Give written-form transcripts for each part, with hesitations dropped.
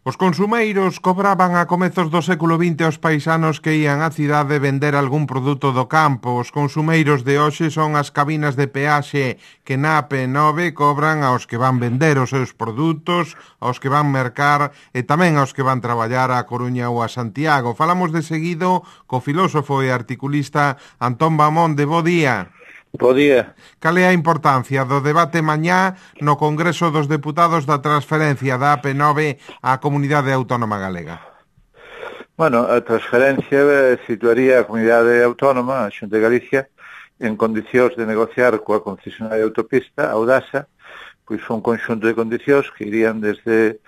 Os consumeiros cobraban a comezos do século XX aos paisanos que ían á cidade vender algún produto do campo. Os consumeiros de hoxe son as cabinas de peaxe que na AP9 cobran aos que van vender os seus produtos, aos que van mercar e tamén aos que van traballar á Coruña ou a Santiago. Falamos de seguido co filósofo e articulista Antón Bamonde. Bo día. Bo día. Cal é a importancia do debate mañá no Congreso dos Deputados da transferencia da AP9 á Comunidade Autónoma Galega? Bueno, a transferencia situaría a Comunidade Autónoma, a Xunta de Galicia, en condicións de negociar coa concesionaria de autopista, a Audasa, pois un conxunto de condicións que irían desde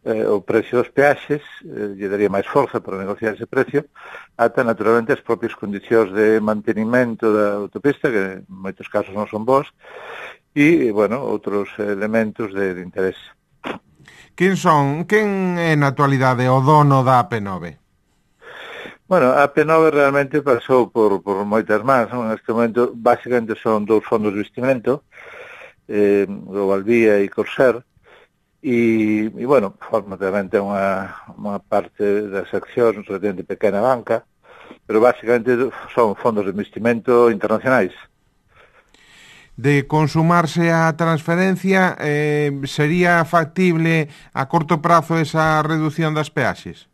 o precio dos peaxes, lle daría máis forza para negociar ese precio, ata naturalmente as propias condicións de mantenimento da autopista, que en moitos casos non son bons, e, bueno, outros elementos de interés. Quen é na actualidade o dono da AP9? Bueno, a AP9 realmente pasou por moitas mans, non? Neste momento, basicamente son dous fondos de investimento, Globalvía e Corsair, e bueno, forma realmente unha parte das accións relativamente pequena banca, pero basicamente son fondos de investimento internacionais. De consumarse a transferencia, sería factible a corto prazo esa reducción das peaxes?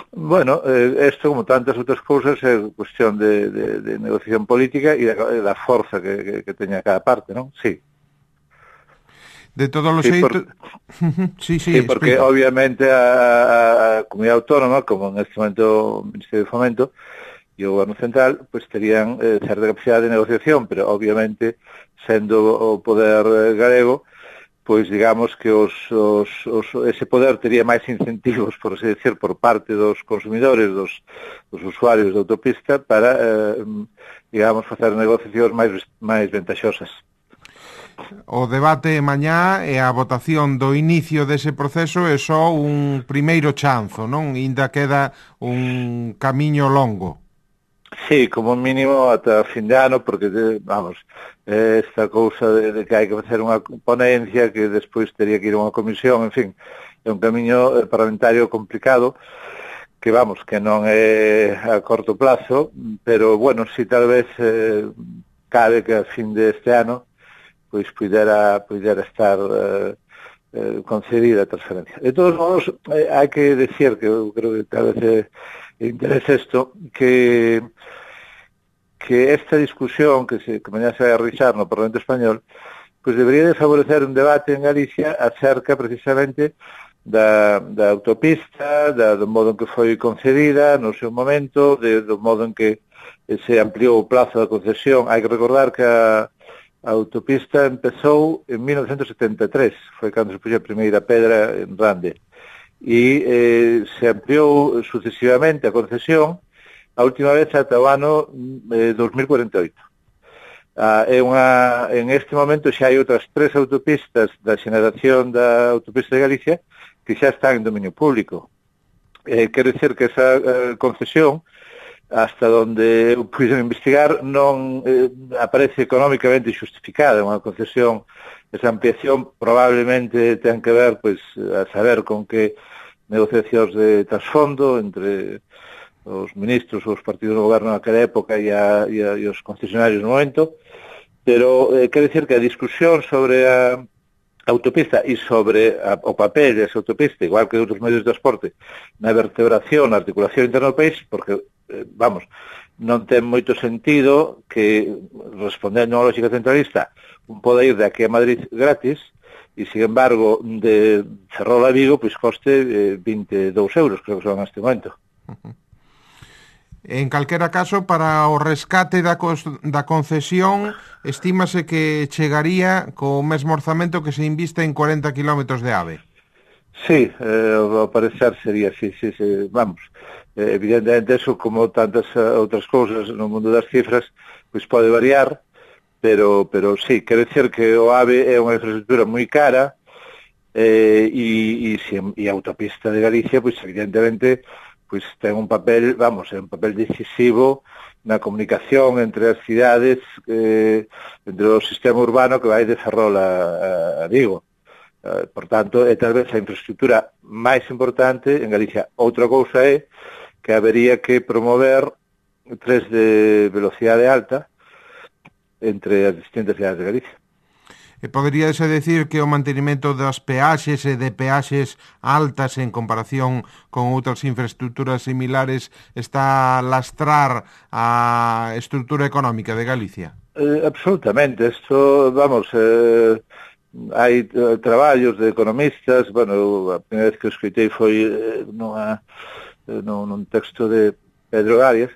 Bueno, isto, como tantas outras cousas, é cuestión de negociación política e da forza que teña cada parte, non? Sí. De todos os xeitos... Sí, porque explica. Obviamente a Comunidade Autónoma, como neste momento o Ministerio de Fomento e o Goberno Central, pues terían certa capacidade de negociación, pero obviamente, sendo o poder galego, pois digamos que ese poder tería máis incentivos, por así decir, por parte dos consumidores, dos usuarios da autopista, para, digamos, facer negociacións máis ventaxosas. O debate mañá e a votación do inicio dese proceso é só un primeiro chanzo, non? Ainda queda un camiño longo. Sí, como mínimo ata fin de ano, porque, vamos, esta cousa de que hai que facer unha ponencia que despois teria que ir a unha comisión, en fin, é un camiño parlamentario complicado, que, vamos, que non é a corto plazo, pero, bueno, si tal vez cabe que a fin deste ano pois pudera estar concedida a transferencia. De todos modos, hai que decir que eu creo que tal vez interesa isto, que esta discusión que mañá se vai a realizar no Parlamento Español, pois debería de favorecer un debate en Galicia acerca precisamente da autopista, do modo en que foi concedida no seu momento, do modo en que se ampliou o plazo da concesión. Hai que recordar que a autopista empezou en 1973, foi cando se puxo a primeira pedra en Rande, e se ampliou sucesivamente a concesión, a última vez ata o ano 2048. En este momento xa hai outras 3 autopistas da xeneración da autopista de Galicia que xa están en dominio público. Quero dicir que esa concesión, hasta onde puiden investigar, non aparece económicamente justificada. Unha concesión, esa ampliación probablemente ten que ver, pois, a saber con que negociacións de trasfondo entre os ministros ou os partidos do goberno naquela época e os concesionarios no momento, pero quero dicir que a discusión sobre a autopista e sobre o papel desa autopista, igual que de outros medios de transporte, na vertebración, na articulación interna do país, porque, vamos, non ten moito sentido que, respondendo á lógica centralista, un pode ir de aquí a Madrid gratis e, sin embargo, de Ferrol a Vigo, pois coste 22 euros, creo que son neste momento. En calquera caso, para o rescate da concesión, estímase que chegaría co mesmo orzamento que se inviste en 40 kilómetros de AVE. Sí, ao parecer sería así, sí, vamos. Evidentemente, eso, como tantas outras cousas no mundo das cifras, pois pode variar, pero sí, quero dicir que o AVE é unha infraestructura moi cara, e a autopista de Galicia, pois evidentemente, pois ten un papel, vamos, é un papel decisivo na comunicación entre as cidades, entre o sistema urbano que vai de Ferrol a Vigo. Por tanto, é tal vez a infraestructura máis importante en Galicia. Outra cousa é que habería que promover tres de velocidade alta entre as distintas cidades de Galicia. Poderíase decir que o mantenimento das peaxes e de peaxes altas en comparación con outras infraestructuras similares está a lastrar a estructura económica de Galicia? Absolutamente. Isto, vamos... hai traballos de economistas, bueno, a primeira vez que o escritei foi nun texto de Pedro Arias,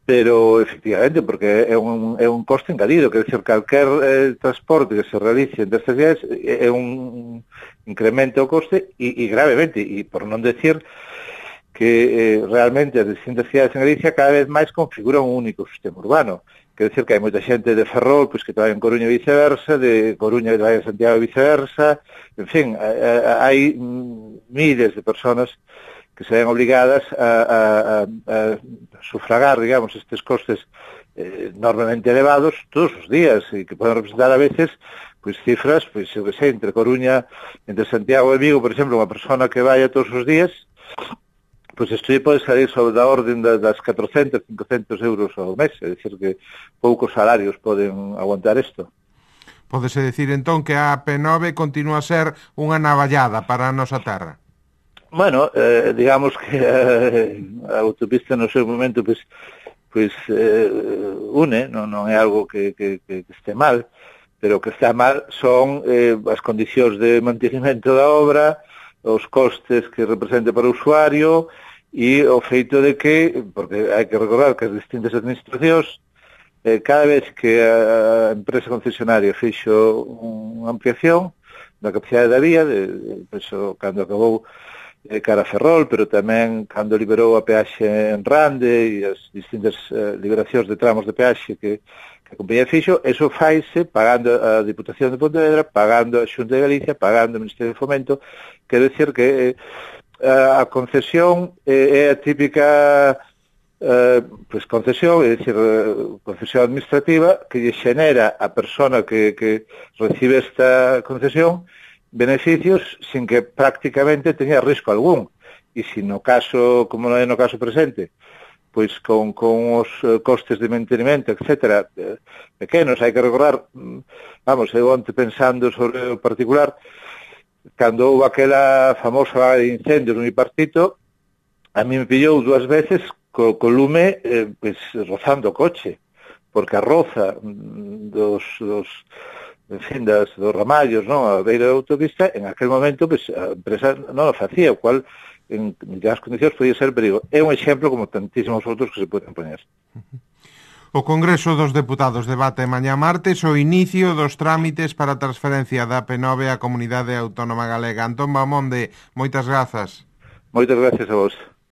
pero efectivamente, porque é un coste engadido, quer dizer, calquer transporte que se realice entre estas cidades é un incremento o coste e gravemente, e por non decir que realmente as distintas cidades en Galicia cada vez máis configuran un único sistema urbano. Quer dizer que hai moita xente de Ferrol pois, que trabalha en Coruña e viceversa, de Coruña que trabalha en Santiago e viceversa, en fin, hai miles de personas que se ven obligadas a sufragar, digamos, estes costes enormemente elevados todos os días e que poden representar a veces pois cifras, pois eu que sei, entre Coruña, entre Santiago e Vigo, por exemplo, unha persona que vai todos os días, pois isto pode salir sobre da orden das 400, 500 euros ao mes, é dicir que poucos salarios poden aguantar isto. Pódese decir entón que a AP9 continúa a ser unha navallada para a nosa terra? Bueno, digamos que a autopista no seu momento pois une, non é algo que este mal, pero o que está mal son as condicións de mantenimento da obra, os costes que representa para o usuario e o feito de que, porque hai que recordar que as distintas administracións cada vez que a empresa concesionaria fixo unha ampliación da capacidade da vía, cando acabou cara a Ferrol, pero tamén cando liberou a peaxe en Rande e as distintas liberacións de tramos de peaxe que a compañía fixo, eso faise pagando a Diputación de Pontevedra, pagando a Xunta de Galicia, pagando o Ministerio de Fomento. Quero dicir que a concesión é a típica concesión, é dicir, concesión administrativa que lle xenera a persona que recibe esta concesión beneficios sin que prácticamente teña risco algún. E se no caso, como non é no caso presente, pois con os costes de mantenimento, etcétera, pequenos, hai que recordar, vamos, eu onte pensando sobre o particular, cando houve aquela famosa vaga de incendios no Bipartito, a mí me pillou 2 veces co lume rozando o coche, porque a roza dos ramallos, non, a beira da autopista, en aquel momento a empresa non o facía, o cual en as condicións podía ser perigo. É un exemplo como tantísimos outros que se poden poñer. O Congreso dos Deputados debate mañá martes o inicio dos trámites para a transferencia da AP9 á Comunidade Autónoma Galega. Antón Bamonde, moitas grazas. Moitas gracias a vos.